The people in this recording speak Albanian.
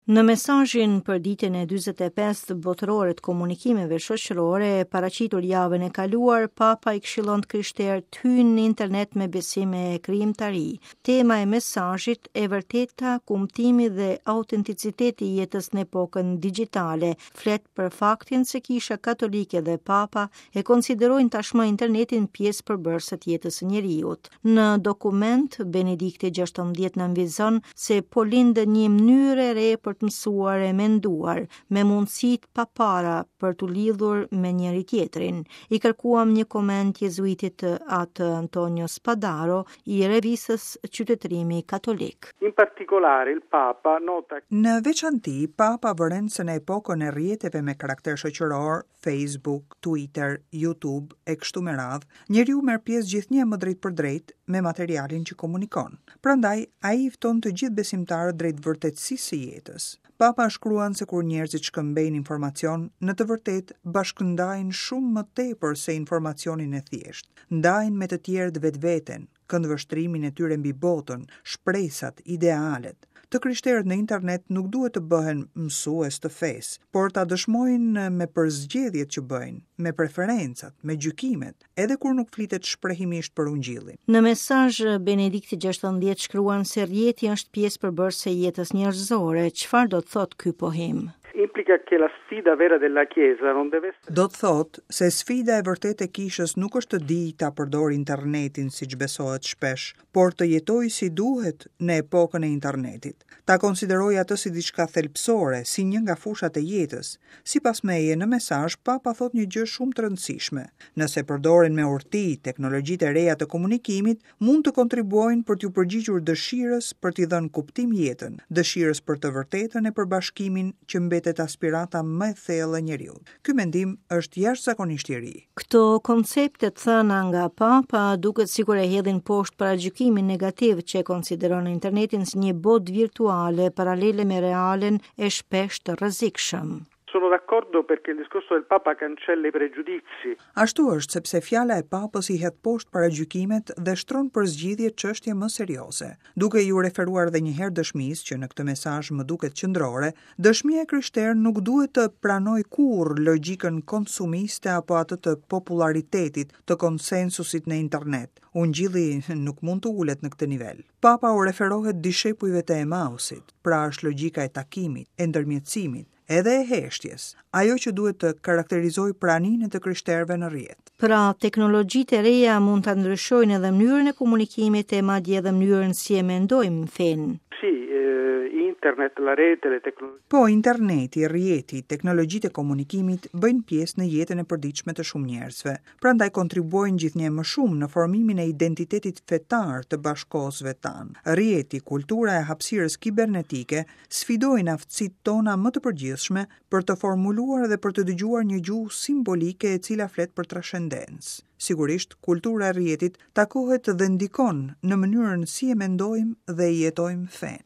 Në mesazhin për ditën e 45-të botërore të komunikimeve shoqërore, paraqitur javën e kaluar, Papa i këshillon të krishterët të hyjnë në internet me besim e krijimtari. Tema e mesazhit, e vërteta, kumtimi dhe autenticiteti i jetës në epokën digjitale, flet për faktin se Kisha Katolike dhe Papa e konsiderojnë tashmë internetin pjesë përbërëse të jetës së njeriut. Në dokument, Benedikti 16 nënvizon se po lind një mënyrë e re për të mësuar e menduar, me mundësi të papara për t'u lidhur me njëri-tjetrin. I kërkuam një koment jezuitit atë Antonio Spadaro i revistës Qytetërimi Katolik. In particolare il Papa nota Në veçanti, Papa vëren se në epokën e rrjeteve me karakter shoqëror, Facebook, Twitter, YouTube e kështu me radhë, njeriu merr pjesë gjithnjë e më drejtpërdrejt me materialin që komunikon. Prandaj, ai i fton të gjithë besimtarët drejt vërtetësisë së jetës. Papa shkruan se kur njerëzit shkëmbejnë informacion, në të vërtetë bashkëndajnë shumë më tepër se informacionin e thjeshtë. Ndajnë me të tjerët vetveten, këndvështrimin e tyre mbi botën, shpresat, idealet. Të krishterët në internet nuk duhet të bëhen mësues të fesë, por ta dëshmojnë me përzgjedhjet që bëjnë, me preferencat, me gjykimet, edhe kur nuk flitet shprehimisht për ungjillin. Në mesazh, Benedikti 16 shkruan se rrjeti është pjesë përbërëse e jetës njerëzore. Çfarë do të thotë ky pohim? Implica che la sfida vera della Chiesa non deve essere Do të thotë se sfida e vërtetë e kishës nuk është të dijë ta përdorë internetin siç besohet shpesh, por të jetojë si duhet në epokën e internetit. Ta konsiderojë atë si diçka thelbësore, si një nga fushat e jetës. Sipas meje, në mesazh, Papa thotë një gjë shumë të rëndësishme. Nëse përdoren me urti teknologjitë e reja të komunikimit, mund të kontribuojnë për t'iu përgjigjur dëshirës për t'i dhënë kuptim jetën, dëshirës për të vërtetën e për bashkimin që mbetet aspirata më e thellë e njeriut. Ky mendim është jashtëzakonisht i ri. Këto koncepte të thëna nga Papa duket sikur e hedhin poshtë paragjykimin negativ që e konsideron internetin si një botë virtuale paralele me realen e shpesh të rrezikshëm. Sono d'accordo perché il discorso del Papa cancella i pregiudizi. Ashtu është sepse fjala e Papës i hedh poshtë paragjykimet dhe shtron për zgjidhje çështje më serioze. Duke iu referuar edhe një herë dëshmisë që në këtë mesazh më duket qendrore, Dëshmia e krishterë nuk duhet të pranojë kurrë logjikën konsumiste apo atë të popullaritetit, të konsensusit në internet. Ungjilli nuk mund të ulet në këtë nivel. Papa u referohet dishepujve të Emausit, pra është logjika e takimit, e ndërmjetësimit, edhe e heshtjes, ajo që duhet të karakterizojë praninë e të krishterëve në rrjet. Pra, teknologjitë e reja mund ta ndryshojnë edhe mënyrën e komunikimit e madje edhe mënyrën si e mendojmë fenë. Sì, internet, la rete, le tecnologie. Po, interneti, rrjeti, teknologjitë e komunikimit bëjnë pjesë në jetën e përditshme të shumë njerëzve. Prandaj kontribuojnë gjithnjë e më shumë në formimin e identitetit fetar të bashkëkohësve tanë. Rrjeti, kultura e hapësirës kibernetike sfidojnë aftësitë tona më të përgjithshme për të formuluar dhe për të dëgjuar një gjuhë simbolike e cila flet për trashendencë. Sigurisht, kultura e rrjetit takohet dhe ndikon në mënyrën si e mendojmë dhe e jetojmë fenë.